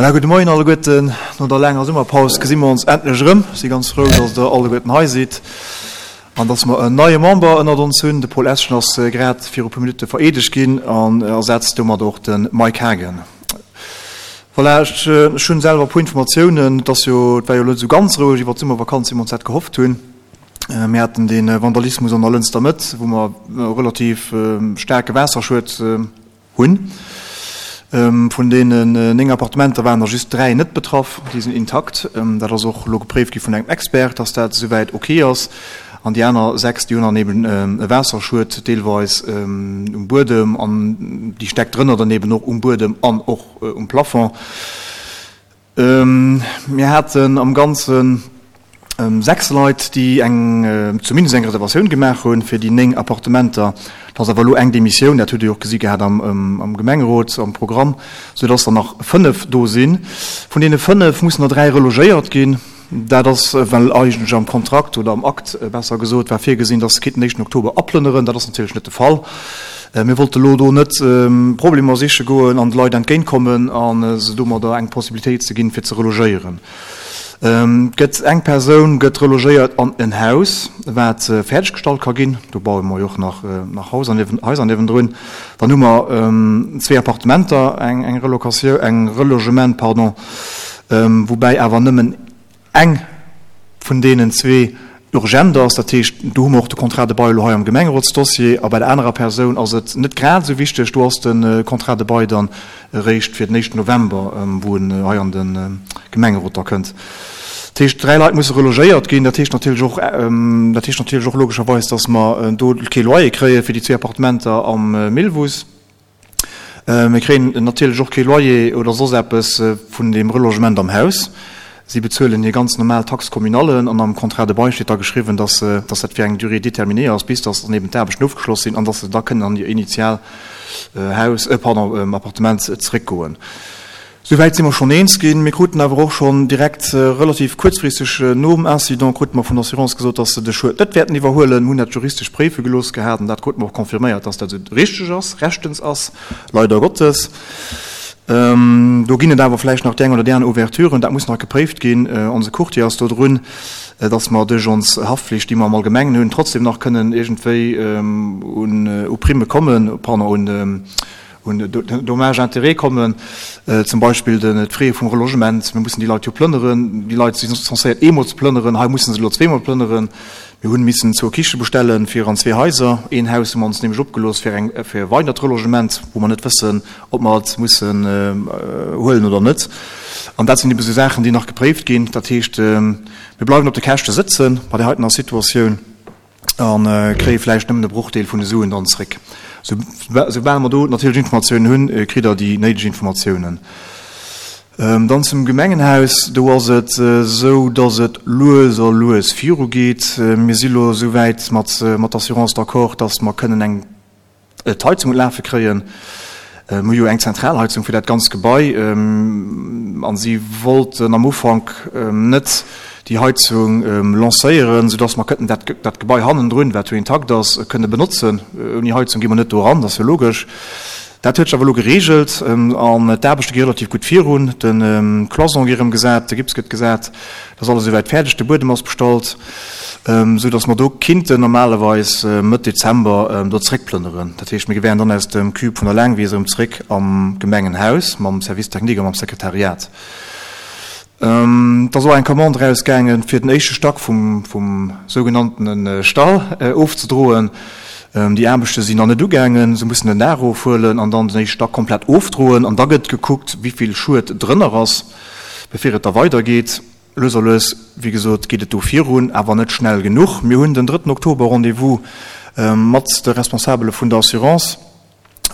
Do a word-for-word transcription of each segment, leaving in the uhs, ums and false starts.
Voilà, gudde Moien alleguerten. No der laanger Summerpaus gesi mer ons endlech erëm. Si ganz frou, dass der alleguerten hei sidd an dass mer en neie Member ënnert ons hunn. De Paul Eschen ass grad viru puer Minutte vereedegt ginn an ersetzt domat och de Mike Hagen. Voilà, ech, ech hunn selwer e puer Informatiounen. Et ass jo, et war jo elo net esou ganz roueg iwwer d'Summervakanz, wéi mer ons dat gehofft hunn. Mir haten dee Vandalismus an der Lënster Mëtt, wou mer e relativ staarke Waasserschued hunn. Vun deenen néng Appartementer waren der just dräi net betraff, déi sinn intakt. Dat ass och elo gepréift gi vun engem Expert, dass dat esouwäit ok ass. An déi aner sechs, déi hunn dann eben e Waasserschued, deelweis um Buedem an déi Stäck drënner dann eben och um Buedem an och um Plafond. Mir haten am Ganzen sechs Leit, déi eng, zumindest eng Reservatioun gemaach hunn fir déi néng Appartementer. Et ass awer elo eng Demissioun, dat hutt Dir jo och gesi gehat am Gemengerot, am Programm, soudass der nach fënnef do sinn. Vun deene fënnef mussen der dräi relogéiert ginn. Dat ass, well eigentlech am Kontrakt oder am Akt, besser gesot, war virgesinn, dass se kéinten den éischten Oktober aplënneren. Dat ass natierlech net de Fall. Mir wollte elo do net Problemer siche goen an de Leit entgéintkommen a se domadder eng Possibilitéit ze ginn, fir ze relogéieren. Et gëtt eng Persoun gëtt relogéiert an en Haus, wat fäerdeg gestallt ka ginn. Do baue mer jo och nach nach Hauser niewen Haiser niewendrun. Dann hu mer zwee Appartementer, eng eng Relocatioun, eng Relogement, pardon, woubäi awer nëmmen eng vun deenen zwee urgent ass. Dat heescht, do hu mer och de Contrat de bail elo hei am Gemengerotsdossier. A bei der anerer Persoun ass et net grad esou wichteg. Do ass de Contrat de bail dann eréischt fir den éischten November, wou en hei an de Gemengerot da kënnt. Dat heescht, dräi Leit musse relogéiert ginn. Dat heescht natierlech och, dat heescht natierlech och logescherweis, datt mer do kee Loyer kréie fir déi zwee Appartementer am Millwuss. Mir kréien natierlech och kee Loyer oder soss eppes vun deem Relogement am Haus. Si bezuelen hir ganz normal Taxe communale an am Contrat de bail steet da geschriwwen, datt datt dat fir eng Durée déterminée ass, bis datt dann eben d'Aarbechten ofgeschloss sinn an datt se da kënnen an hir initial Haus, pardon, Appartement zeréckgoen. Souwäit si mer schonn eens ginn. Mir kruten awer och schonn direkt relativ kuerzfristeg nom Incident krute mer vun der Assurance gesot, dass se de Schued net wäerten iwwerhuelen. Mir hunn dat juristesch préife gelooss gehat an dat krute mer och confirméiert, dass dat esou richteg ass, rechtens ass, leider Gottes. Do ginn et awer vläicht nach déi eng oder déi aner Ouverturen. Dat muss nach gepréift ginn. Onse Courtier ass do drun, dass mer duerch ons Haftflicht, déi mer am Allgemengen hunn, trotzdem nach kënnen iergendwéi un u Primme kommen, pardon, un un Dommages-intérêts kommen, zum Beispill d'Fraie vum Relogement. Mir mussen déi Leit jo plënneren. Déi Leit si censéiert eemol ze plënneren, hei musse se elo zweemol plënneren. Mir hunn missen zwou Kiche bestellen fir an zwee Haiser. Een Haus hu mer ons nämlech opgelooss fir eng fir e weidert Relogement, wou mer net wëssen, ob mer et mussen huelen oder net. An dat sinn ebe sou Saachen, déi nach gepréift ginn. Dat heescht, mir bleiwen op de Käschte sëtzen bei där heitener Situatioun a kréie vläicht nëmmen e Brochdeel vun de Suen dann zréck. Soubal mer do natierlech Informatiounen hunn, kritt Der déi néideg Informatiounen. Dann zum Gemengenhaus, Do ass et esou, dass et lues a lues virugeet. Mir si lo esouwäit mat der Assurance d'accord, dass mer kënnen eng d'Heizung un d'Lafe kréien. Mir hu jo eng Zentralheizung fir dat ganzt Gebai a si wollten am Ufank net déi Heizung lancéieren, soudass mer kënnten dat dat Gebai hannendrun, wat jo intakt ass, kënne benotzen. Ouni Heizung gi mer net do eran, dat ass jo logesch. Dat huet sech awer elo gereegelt an d'Aarbechte gi relativ gutt virun. De Cloison gi erëm gesat, de Gips gëtt gesat, dat ass alles esouwäit fäerdeg, de Buedem ass bestallt, esou datt mer do kinnten normalerweis Mëtt Dezember do zréckplënneren. Dat heescht, mir wären dann aus dem Cube vun der Laangwies erëm zréck am Gemengenhaus mam Service technique a mam Sekretariat. Et ass och eng Commande erausgaangen, fir den éischte Stack vum vum sougenanntene Stall ofzedroen. Déi Aarbechte sinn nach net ugaangen. Se mussen den Daach ofhuelen an dann den éischte Stack komplett ofdroen. An da gëtt gekuckt, wéi vill Schued drënner ass, bevir et da weidergeet. Lues a lues, wéi gesot, geet et do virun, awer net schnell genuch. Mir hunn den drëtten Oktober Rendez-vous mat de Responsabele vun der Assurance.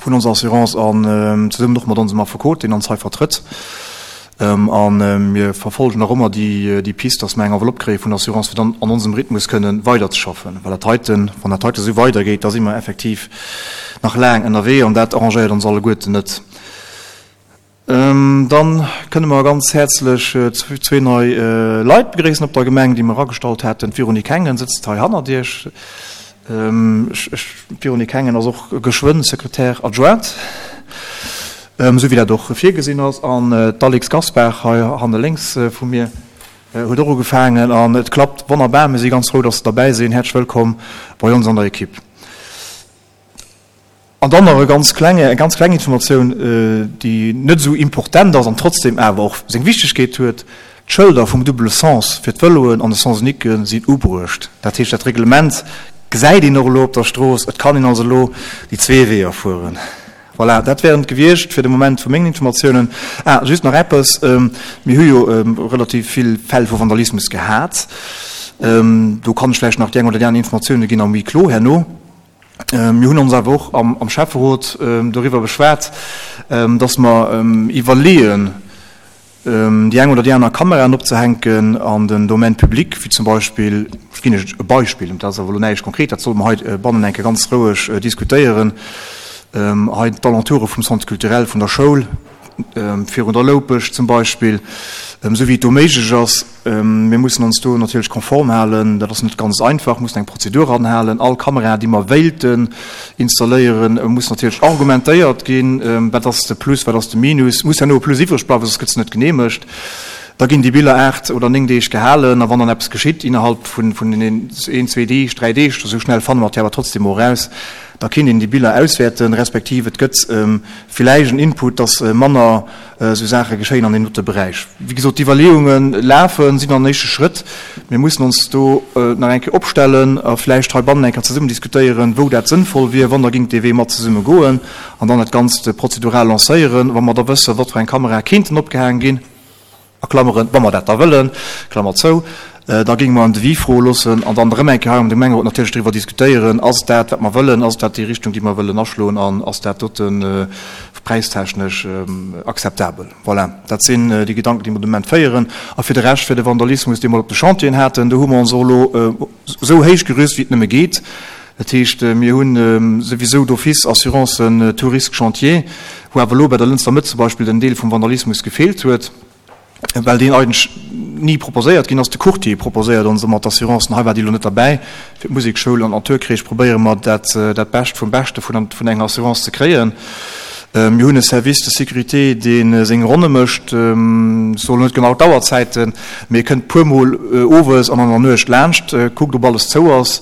vun onser Assurance an zesummen och mat onsem Affekot, deen ons hei vertrëtt. A mir verfolgen nach ëmmer déi Pist, dass mer eng Enveloppe kréie vun der Assurance, fir dann an onsem Rhythmus kënnen weiderzeschaffen. Well dat heiten, wann dat heite esou weidergeet, da si mer effektiv nach laang ënnerwee an dat arrangéiert ons alleguerten net. Dann kënne mer ganz häerzlech zwee nei Leit begréissen op der Gemeng, déi mer agestallt haten. D'Véronique Hengen sëtzt hei hannert Iech. D'Véronique Hengen ass och geschwënn Secrétaire adjointe. esou wéi dat och virgesinn ass. An d'Alix Gaspar hei hanne lénks vu mir huet och ugefaangen an et klappt wonnerbar. Mir si ganz frou, dass se derbäi sinn. Häerzlech wëllkomm bei ons an der Ekipp. An dann nach e ganz klenge, eng ganz kleng Informatioun, déi net esou importent ass an trotzdem awer och seng Wichtigkeet huet, D'Schëlder vum double sens fir d'Vëloen an de Sens unique sinn ubruecht. Dat heescht, dat Reglement gesäit een och elo op der Strooss. Et kann een also elo déi zwee Weeër fueren. Voilà, dat wären et gewiescht fir de Moment vu mengen Informatiounen. Ah, just nach eppes, Mir hu jo relativ vill Fäll vu Vandalismus gehat. Do kann ech vläicht nach déi eng oder déi aner Informatioune ginn am Huis clos herno. Mir hunn ons awer och am Schäfferot doriwwer beschwat, dass mer iwwerleeën, déi eng oder déi aner Kameraen opzehänken an den Domaine public, wéi zum Beispill, ech ginn Iech e Beispill, dat ass awer elo näischt konkret, dat solle mer hei bannen eng Kéier ganz roueg diskutéieren, hei d'Alentoure vum Centre culturel vun der Schoul, virun der Loupescht zum Beispill, esou wéi et do méiglech ass. Mir mussen ons do natierlech konform halen, dat ass net ganz einfach, mussen eng Prozedur anhalen. All Kamera, déi mer wéilten installéieren, muss natierlech argumentéiert ginn, wat ass de Plus, wat ass de Minus, muss herno e Plus iwwreg bleiwen, soss gëtt se net geneemegt. Da ginn déi Biller aacht oder néng Deeg gehalen a wann dann eppes geschitt innerhalb vun een, zwee Deeg, dräi Deeg, esou schnell fanne mer et jo awer trotzdem och eraus, da kéint een déi Biller auswäerten, respektiv et gëtt villäicht en Input, dass manner esou Saache geschéien an deem dote Beräich. Wéi gesot, d'Iwwerleeunge lafen, sinn an éischte Schrëtt. Mir mussen ons do nach eng Kéier opstellen a vläicht heibannen eng Kéier zesummen diskutéieren, wou dat sënnvoll wier, wann der gingt dee Wee mat zesumme goen an dann dat Ganzt prozedural lancéieren, wa mer da wëssen, wat fir eng Kamerae kéinten opgehaang ginn. A Klammeren, wa mer dat da wëllen, Klammer zou, da géinge mer en Devis froe loossen an dann erëm eng Kéier hei am Gemengerot natierlech driwwer diskutéieren, Ass et dat, wat mer wëllen? Ass et dat déi Richtung, déi mer wëllen aschloen? An ass dat dote präistechnesch akzeptabel? Voilà, dat sinn déi Gedanken, déi mer de Moment féieren. A fir de Rescht, fir de Vandalismus, dee mer op de Chantieren haten, do hu mer ons och elo esou héich gerüst, wéi et nëmme geet. Dat heescht, mir hu souwisou d'office Assurancen tout risque chantier, wou awer elo bei der Lënster Mëtt zum Beispill den Deel vum Vandalismus gefeelt huet, well deen eigentlech ni proposéiert ginn ass. De Courtier proposéiert ons ëmmer d'Assurancen, hei war déi elo net derbäi. Fir d'Musekschoul an d'Naturkreesch probéiere mer dat dat Bescht vum Beschte vun vun enger Assurance ze kréien. Mir hunn e Service de sécurité, dee seng Ronne mécht, ech soen net genau d'Auerzäiten, mee e kënnt puermol owes an an der Nuecht laanscht, kuckt ob alles zou ass,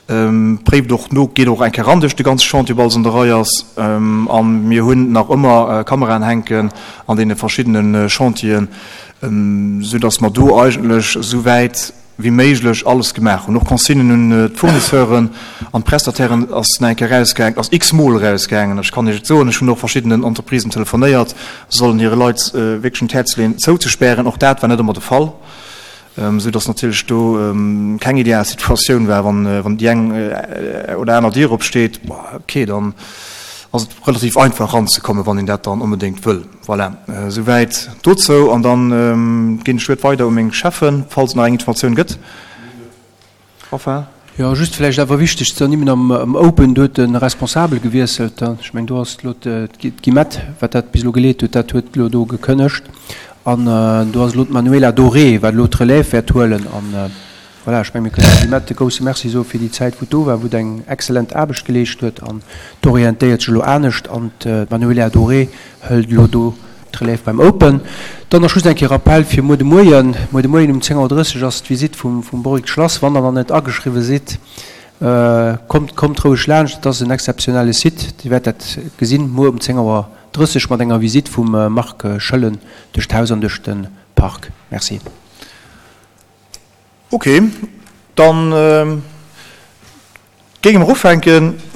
préift och no, geet och eng Kéier eran duerch de ganze Chantier, ob alles an der Rei ass. A mir hunn nach ëmmer Kameraen hänken an deene verschiddene Chantieren, soudass mer do eigentlech esou wäit wéi méiglech alles gemaach hunn. Och Consignen un d'Fournisseuren an d'Prestatairen ass nach eng Kéier erausgaangen, ass x-mol erausgaangen. Ech kann Iech et soen, ech hunn och verschiddenen Entreprisen telefonéiert, se sollen hire Leit wierklech un d'Häerz leeën, zouzespären. Och dat war net ëmmer de Fall, soudass natierlech do keng ideal Situatioun war, wann déi eng oder aner Dier opsteet, okay, dann ass et relativ einfach eranzekommen, wann een dat dann onbedéngt wëll. Voilà, esouwäit dozou. An dann ginn ech d'Wuert weider u meng Cheffen, falls et nach eng Informatioun gëtt. Raphaël? Jo, just vläicht awer wichteg ze ernimmen, am Open, do huet de Responsabel gewiesselt. Ech mengen, do ass elo d'Guillemette, wat dat bis elo geleet huet, dat huet elo do gekënnegt. An do ass elo d'Manuela Doré, wat elo d'Relève wäert huelen. An voilà, ech mengen, mir kënnen der Guillemette e grousse Merci soe fir déi Zäit, wou d'do war, wou d'eng exzellent Aarbecht geleescht huet. An d'orientéiert sech elo anescht. An d'Manuela Doré hëlt elo do d'Relève beim Open. Dann nach just eng Kéier Rappel fir muer de Moien. Muer de Moien um zéng Auer drësseg ass d'Visitt vum Boric Schlass. Wann der nach net ageschriwwe sidd, kommt, kommt roueg laanscht. Et ass en exzeptionelle Site. Dir wäert dat gesinn muer um zéng Auer drësseg mat enger Visitt vum Marc Schoellen duerch d'Haus an duerch de Park. Merci. Ok, dann géinge mer ufänken.